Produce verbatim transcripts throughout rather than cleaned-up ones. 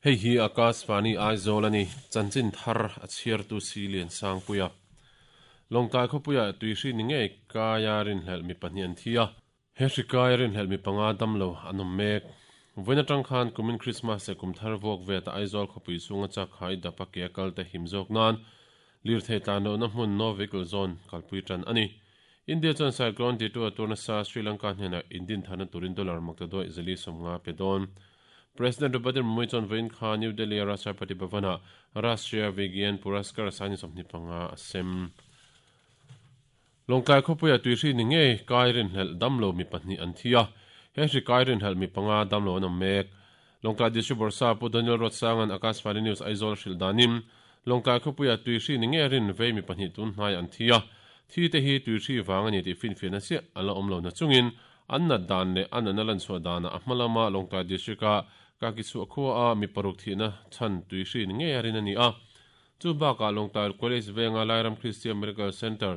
Hei hi Akashvani Aizawl ani chanchin thar a chhiar tu si lian sangpuia Lawngtlai khawpuia tuihri ni ngei kaia rin hlel mi pahnih an thi a he hri kaia rin hlel mi panga damlo an awm mek vawiin atang khan kumin Christmas leh kum thar vuak vet a Aizawl khawpui chhunga chak khai dapa ke a kal te him zawk nan lir thei tlan lohna hmun no vehicle zone kalpui tan ani India chuan cyclone ti tu a turna sa Sri Lanka hnenah indin thana turin dollar makta doi zali sawmnga pe dawn President Draupadi Murmu chuan vawiin kha New Delhi a Rashtrapati Bhavana Rashtriya Vigyan Puraskar sani sawmhnih panga a sem Lawngtlai khawpuia tuihri ni ngei kai rin hlel damlo mi pahnih an thi a he hri kai rin hlel mi panga damlo an awm mek Lawngtlai District Bawrhsap Pu Daniel Ruatsangan Akashvani News Aizawl hrilh danin Lawngtlai khawpuia tuihri ni ngei rin vei mi pahnih tun hnai an thi a thi te hi tuihri wang ani tih finfiahna chiah a la awm lo na chungin an nat dan leh an an a lan chhuah danah a hma lama Lawngtlai District a ka ki chhuah khua a mi paruk thihna chhan tuihri ni ngei a rin ani a chu bakah Lawngtlai College venga Lairam Christian Medical Center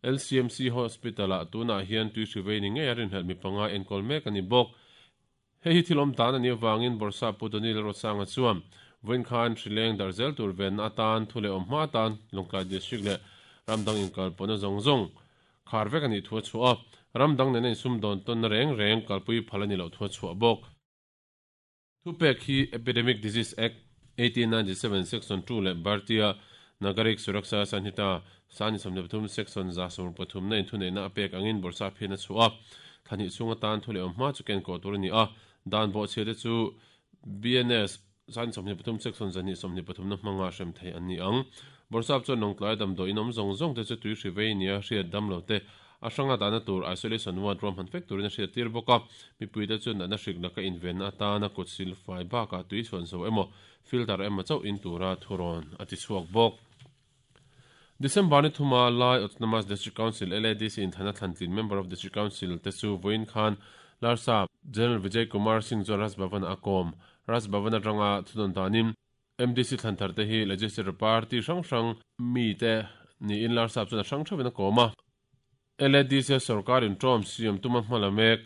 L C M C Hospital a tunah hian tuihri vei ni ngei a rin hlel mi panga enkawl mek ani bawk hei hi thil awm tan ani awangin Bawrhsap Pu Daniel Ruatsanga chuan vawiin khan hrileng darzel tur venna atan thu leh awm hma atan Lawngtlai District leh ramdang inkalpawhna zawng zawng khar vek ani thu a chhuah a ramdang nen a insum dawn tawnna reng reng kalpui phal ani loh thu a chhuah bawk thu pek hi Epidemic Disease Act eighteen ninety-seven section two leh Bharatiya Nagarik Suraksha Sanhita sani sawmhnih pathum section za sawm pathum na inthuneihna a pek angin Bawrhsap hian a chhuah a thahnih chhung atan thu leh awm hma chu ken kawh tur ani a dan bawh chhia te chu B N S sani sawmhnih pathum section zahnih sawmhnih pathum na hmanga hrem thei an ni ang Bawrhsap chuan Lawngtlai damdawi in awm zawng zawng te chu tuihri vei nia hriat damlo te a hranga dahna tur isolation ward ruam han fek turin a hriat tir bawk a mipui te chuan natna hrik laka invenna atana kut sil fai bakah tui chhuan zo emaw filter emaw chauh in tura thurawn a ti chhuak bawk December ni thuma Lai Autonomous District Council L A D C in thana thlantlin member of District Council te chu vawiin khan Larsap General Vijay Kumar Singh chuan Raj Bhavan a kawm Raj Bhavan atanga thudawn danin M D C thlanthar te hi Legislature Party hrang hrang mi te niin Larsap chuan a hrang theuhin a kawm a L A D C sarkar in tawm siam tuma hmala mek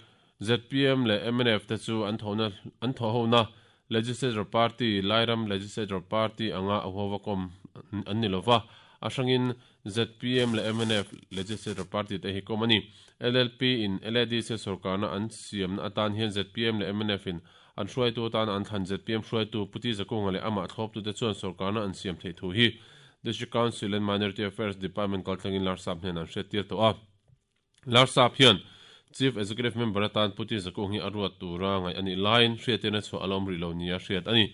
Z P M leh M N F te chu an thona an thaw hona Legislature Party Lairam Legislature Party anga a huwa kom an ni lova a hrangin Z P M leh M N F Legislature Party te hi kom ani L L P in L A D C sarkarna an siam na atan hian Z P M leh M N F in an hruai tu tan an thlan Z P M hruai tu Puti Zakunga leh ama thlawp tu te chuan sarkarna an siam thei thu hi District Council and Minority Affairs Department kaltlangin Larsap hnen an hriat tir tawh a Larsap hian Chief Executive Member atan Puti Zakung hi a ruat tura ngai ani line hriatirna chhuah alawm ri lo nia hriat ani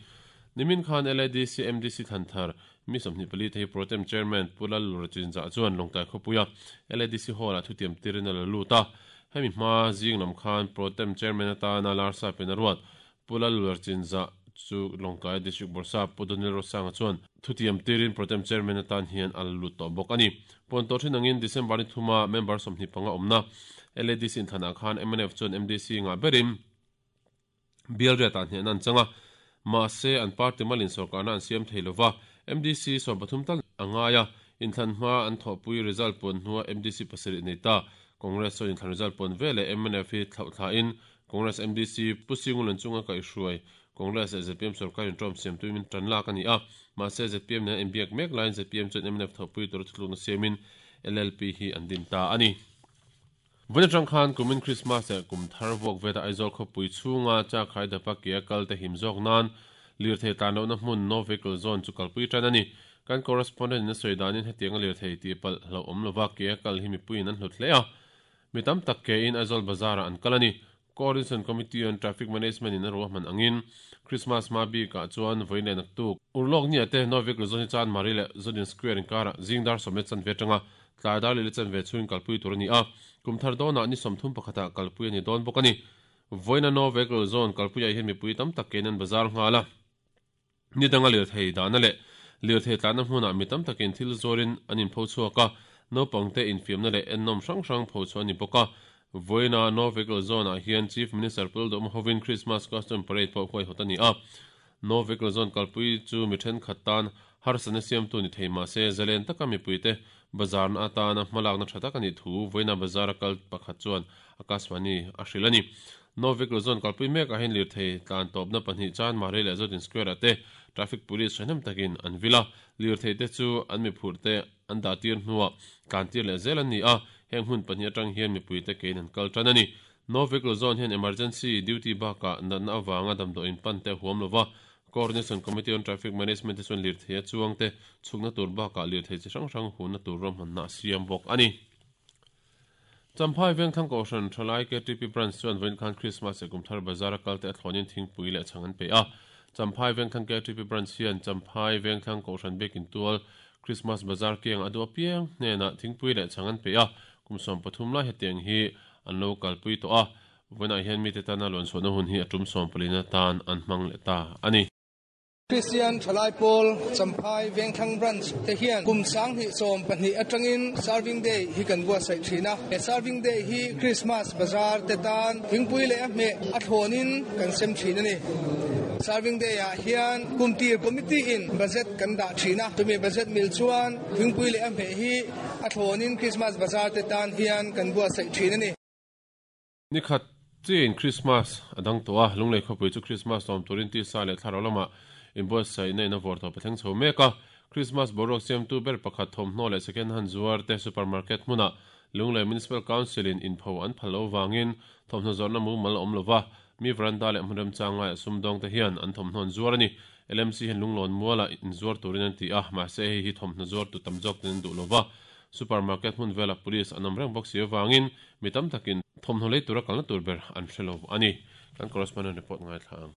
nimin khan L A D C M D C thanthar mi sawmhnih pali te hi Protem Chairman Pulal Lurchinza chuan Lawngtlai khawpuia L A D C Hall a thutiam tirin a la lut a hemi hma zing lam khan Protem Chairman atana Larsap in a ruat Pulal Lurchinza chu Lawngtlai District Bawrhsap Pu Daniel Ruatsanga chuan thutiam tirin Protem Chairman atan hian a la lut tawh bawk ani ponto thin angin December ni thuma member sawmhnih panga awmna L A D C in thanah khan M N F chuan M D C nga berin bial riat ah hnen an changa ma se an party malin sarkarna an siam thei lova M D C sawm pathum tal angaia inthlan hma an thawhpui result pon hnua M D C pasarih nei ta Congress chuan inthlan result pon vele M N F hi thlauh thla in Congress M D C Pu Singulan chunga kaihhruai Congress leh Z P M sarkar in tawm siam tuimin tan lak ani a ma se Z P M nen inbiak mek laiin Z P M chuan M N F thawhpui tur thutlukna siamin L L P hi an din ta ani Vawiin atang khan kumin Christmas leh kum thar vuak veta Aizawl khawpui chhunga chak khai dapa ke a kal te him zawk nan lir thei tlan lohna hmun no vehicle zone chu kalpui tan ani kan correspondent in a sawi danin hetiang a lir thei tih palh hlo awm lova ke a kal hi mipuiin an hlut hle a mi tam tak ke in Aizawl bazar ah an kal ani Coordination Committee on Traffic Management in a ruahman angin Christmas ma bikah chuan vawiin leh naktuk urlawk ni ate no vehicle zone hi chan mari leh Zodin Square inkara zingdar sawmlet chan ve tanga tlai dar leh chan ve chhuin kalpui tur ani a kumthar dawnah ni sawmthum pakhatah kalpui ani dawn bawk ani vawiin no vehicle zone kalpui ah hian mipui tam tak ke in an bazar nghala ni danga lir thei dahna leh lir thei tlanna hmunah mi tam takin thil zawrin an inpho chhuak a naupangte infiamna leh ennawm hrang hrang pho chu ani bawk a vawiin no vehicle zone ah hian Chief Minister Pul Dawm hovin Christmas costume parade pawh huai hawt ani a no vehicle zone kalpui chu mi thenkhat tan harsana siam tu ni thei mahse zalen taka mipui te bazar na atana hmalakna tha tak ani thu vawiin bazar a kal pakhat chuan Akashvani a hril ani No vehicle zone kalpui mek a hen lir thei tlan tawp na pahnih Chanmari leh Zodin Square te traffic police thahnem takin an vila lir thei te chu an mi phur te an dah tir hnuah tlan tir leh zel an ni a heng hun pahnih atang hian mipui te kein an kal tan ani. No vehicle zone hian emergency duty baka natna awanga damdawiin pan te huam lova Coordination Committee on Traffic Management te chuan lir thei a chuang te chhukna tur baka lir thei chi hrang hrang hunna tur rawmhanna siam bawk ani. Champhai Vengthlang Kohhran Thalai K T P Branch chuan vawiin khan Christmas leh Kumthar Bazar a kal te a thlawnin thingpui leh chhang an pe a. Champhai Vengthlang K T P Branch hian Champhai Vengthlang Kohhran biakin tual Christmas Bazar kiang a duh apiang hnenah thingpui leh chhang an pe a. Kum sawm pathum lai hetiang hi an lo kalpui tawh a. Vawiinah hian mite tana lawn chhuahna hun hi a tum sawm palina tan an hmang leh ta ani. Christian Thalai Pawl Champhai Vengthlang Branch te hian kum sang hnih sawm pahnih atangin Serving Day hi kan buatsaih thin a. He Serving Day hi Christmas Bazar te tan thingpui leh a hmeh a thlawnin kan sem thin ani. Serving Day ah hian kumtir committee in budget kan dah thin a. Tumi budget mil chuan thingpui leh a hmeh hi a thlawnin Christmas Bazar te tan hian kan buatsaih thin ani. Nikhat chin Christmas adang to a lunglei khawpui chu Christmas lawm turin ti sa leh thlarau lama inbuatsaih na in a vawr tawh pathleng chho mek a. Christmas boruak siamtu ber pakhat thawmhnaw leh second hand zuar te supermarket hmunah Lunglei Municipal Council in inpho an phal lo wangin thawmhnaw zawrhna mumal a awm lova mi veranda leh hmun remchang laiah sumdawng te hian an thawmhnaw an zuar ani. L M C hian lunglawn muala inzuar turin an ti a, mahse hei hi thawmhnaw zuar tu tam zawk ten an duh lova. Supermarket hmun vela police an awm reng bawk si awangin mi tam takin thawmhnaw lei tura kalna tur ber an hre lo ani. Kan correspondent report ngai thlang.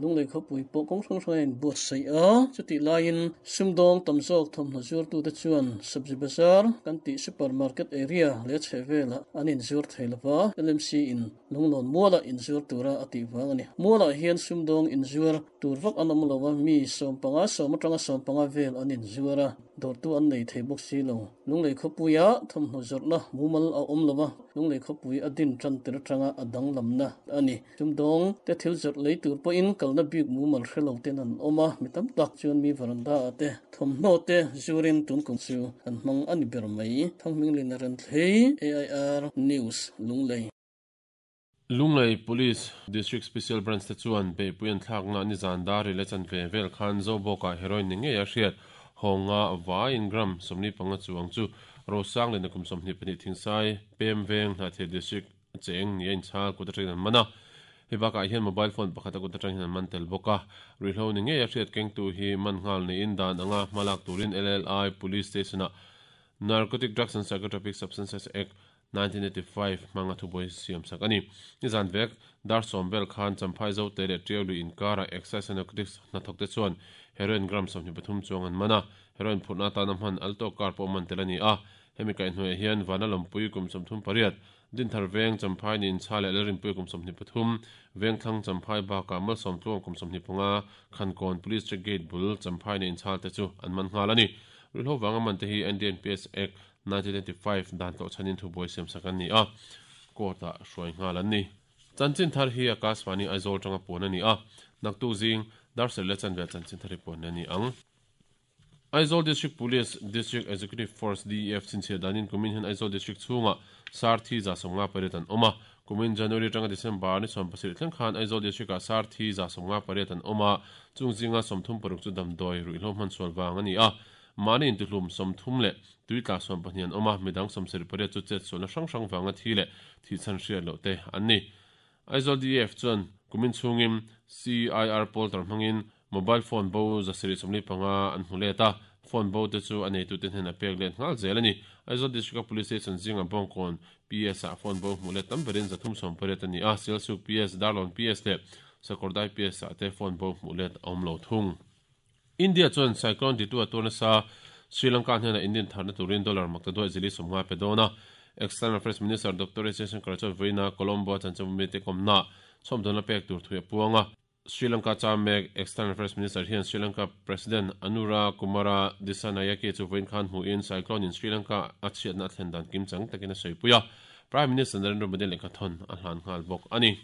Lunglei khawpui pawh kawng hrang hrang a inbuatsaih a, chutih laiin sumdawng tam zawk thawmhnaw zuartu te chuan Sabzi Bazar kan tih supermarket area leh chheh velah an inzuar thei lova L M C in lunglawn muala inzuar tura a tih vang ani. Mualah hian sumdawng inzuar tur vak an awm lo a, mi sawm panga sawm atanga sawm panga vel an inzuar a, dawrtu an nei thei bawk si lo. Lunglei khawpuia thawmhnaw zawrhna mumal a awm lova, lunglei khawpui a din tan tir atanga a danglamna ani. Sumdawng te thil zawrh lei tur pawhin kalna bik mumal hre lo ten an awm a, mi tam tak chuan mi veranda ah te thawmhnaw te zuarin tun kum chu an hmang ani ber mai. Thangminglin a ran thlei A I R News Lunglei. Lunglei Police District Special Branch te chuan beihpui an thlakna ni zan dari leh chan ve vel khan Zobawkah heroin ni ngei a hriat hawnga vaiin gram sawmli panga chuang chu Rosang leh nakum sawmhnih pahnih Thingsai Pem Veng Hnahthial District cheng ni a inchhal kut atangin an man a. Hei bakah hian mobile phone pakhat a kut atang hian an man tel bawk a. Ruihhlo ni ngei a hriat kengtu hi man nghal niin dan anga hmalak turin L L I Police Station-ah Narcotic Drugs and Psychotropic Substances Act nineteen eighty-five hmanga thubuai siam sak ani. Ni zan vek dar sawm vel khan Champhai Zote leh Tiaului inkara Excise and Narcotics hnathawk te chuan heroin gram sawmhnih pathum chuang an man a. Heroin phurhna atana hman alto car pawh man tel ani a. Hemi kaihhnuaiah hian vana lawmpui kum sawmthum pariat Dinthar Veng Champhai ni inchha leh Lalrinpui kum sawmhnih pathum Vengthlang Champhai bakah Malsawm tluang kum sawmhnih panga Khankawn Police Check Gate bul Champhai ni inchhal te chu an man nghal ani. Ruihhlo wanga man te hi N D N P S Act nineteen eighty-five dan tawh chhanin thubuai siam sak an ni a, court-ah hruai nghal an ni. Chanchin thar hi Akashvani Aizawl tanga puan ani a, naktu zing dar serh leh chanvel chanchin thar hi puan ani ang. Aizawl District Police District Executive Force D E F chinchhiah danin kumin hian Aizawl District chhunga Sarthi za sawmnga pariat an awm a. Kumin January tanga December ni sawm pasarih thleng khan Aizawl District-ah Sarthi za sawmnga pariat an awm a, chung zinga sawmthum paruk chu damdawi ruihhlo hman sual vang ani a. Mani intihlum sawmthum leh tuitla sawm pahnih an awm a, midang sawmsarih pariat chu chet sualna hrang hrang vanga thi leh thi chhan hriat loh te an ni. Aizawl D E F chuan kumin chhungin C I R polter hmangin mobile phone bo zasarih sawmli panga an hmu let a, phone bo te chu a neitu te hnen a pek let nghal zel ani. Aizawl District Police Station zinga Bawngkawn P S ah phone bo hmu let tam berin zathum sawm pariat ani a, Sialsuk P S, Darlawn P S leh Sakawrdai P S ah te phone bo hmu let a awm lo thung. India chuan Cyclone Ditwah a turna sa Sri Lanka hnena Indian tharna turin dollar makta duai zili sawmnga pe dawn a. External Affairs Minister Doctor S Jaishankar chuan vawiina Colombo chanchanpui te kawmna chhawmdawlna pek tur thui a puang a. Sri Lanka chamek External Affairs Minister hian Sri Lanka President Anura Kumara Dissanayake chu vawiin khan hmuin Cyclone in Sri Lanka a chhiatna a thlen dan kim chang takin a sawi a. Prime Minister Narendra Modi lehkha thawn a hlan nghal bawk ani.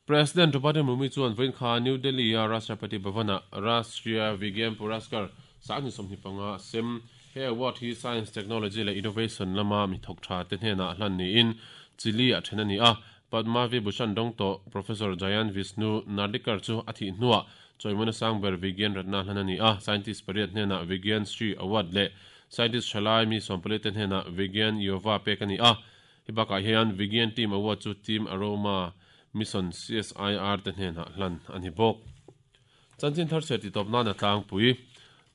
President Draupadi Murmu chuan vawiin khan New Delhi a Rashtrapati Bhavana Rashtriya Vigyan Puraskar sangni sawmhnih panga sem he award hi Science, Technology leh Innovation lama mi thawk tha te hnenah hlan niin Chile a then ani a. Padma Vibhushan dawng tawh Professor Jayant Vishnu Narlikar chu a thih hnuah chawimawina sangber Vigyan Ratna hlan a ni a. Scientist pariat hnenah Vigyan Shri Award leh Scientist thalai mi sawmpali te hnenah Vigyan Yuva pek a ni a. Hei bakah hian Vigyan Team Award chu Team Aroma Mission C S I R te hnenah hlan a ni bawk. Chanchin thar chhe ti tawp nan a tlangpui.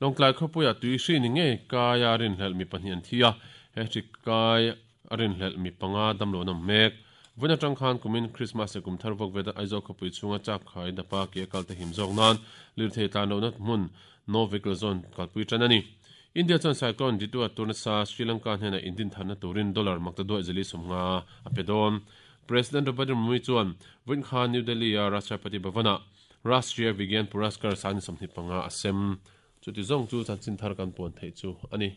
Lawngtlai khawpuia tui hri ni ngei kaia rinhlelh mi pahnih an thi a. He hri kai a rinhlelh mi panga damlo an awm mek. Vawin atang khan kumin Christmas leh kum thar vawk veta Aizawl khawpui chhunga chak khai dapa ke a kal te him zawk nan lirthei tlan lohna hmun No Vehicle Zone kalpui tan a ni. India chuan cyclone Ditwah turnasa Sri Lanka hnenah indin tharna turin dollar makta duai zali sawmnga a pe dawn. President Draupadi Murmu chuan vawiin khan New Delhi a Rashtrapati Bhavana Rashtriya Vigyan Puraskar sangni sawmhnih panga a sem. Chuti zawng chu chanchin thar kan puan theih chu a ni.